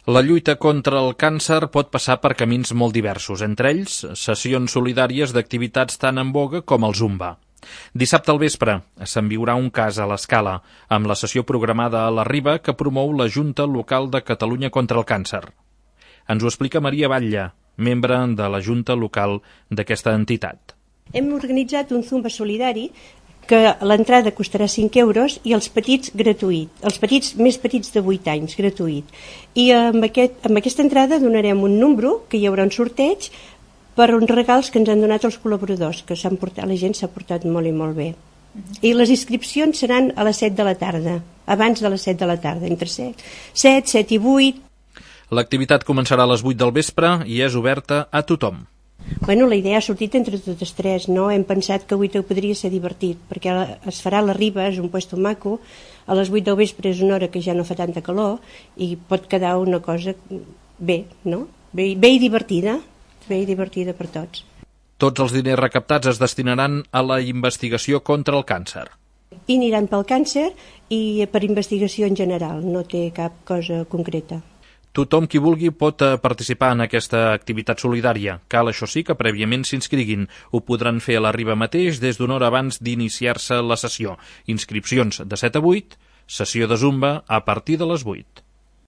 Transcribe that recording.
La lluita contra el càncer pot passar per camins molt diversos, entre ells sessions solidàries d'activitats tan en voga com el Zumba. Dissabte al vespre se'n viurà un cas a l'Escala, amb la sessió programada a la Riba que promou la Junta Local de Catalunya contra el Càncer. Ens ho explica Maria Batlle, membre de la Junta Local d'aquesta entitat. Hem organitzat un Zumba solidari que l'entrada costarà 5 euros i els petits gratuït, els petits més petits de 8 anys gratuït. I amb aquesta entrada donarem un número, que hi haurà un sorteig, per uns regals que ens han donat els col·laboradors, que la gent s'ha portat molt i molt bé. I les inscripcions seran a les 7 de la tarda, abans de les 7 de la tarda, entre 7 i 8. L'activitat començarà a les 8 del vespre i és oberta a tothom. La idea ha sortit entre totes tres, no? Hem pensat que avui podria ser divertit, perquè es farà a la Riba, és un puesto maco, a les 8 del vespre és una hora que ja no fa tanta calor i pot quedar una cosa bé, no? Bé i divertida per tots. Tots els diners recaptats es destinaran a la investigació contra el càncer. I aniran pel càncer i per investigació en general, no té cap cosa concreta. Tothom qui vulgui pot participar en aquesta activitat solidària. Cal, això sí, que prèviament s'inscriguin. Ho podran fer a la Riba mateix des d'una hora abans d'iniciar-se la sessió. Inscripcions de 7 a 8, sessió de Zumba a partir de les 8.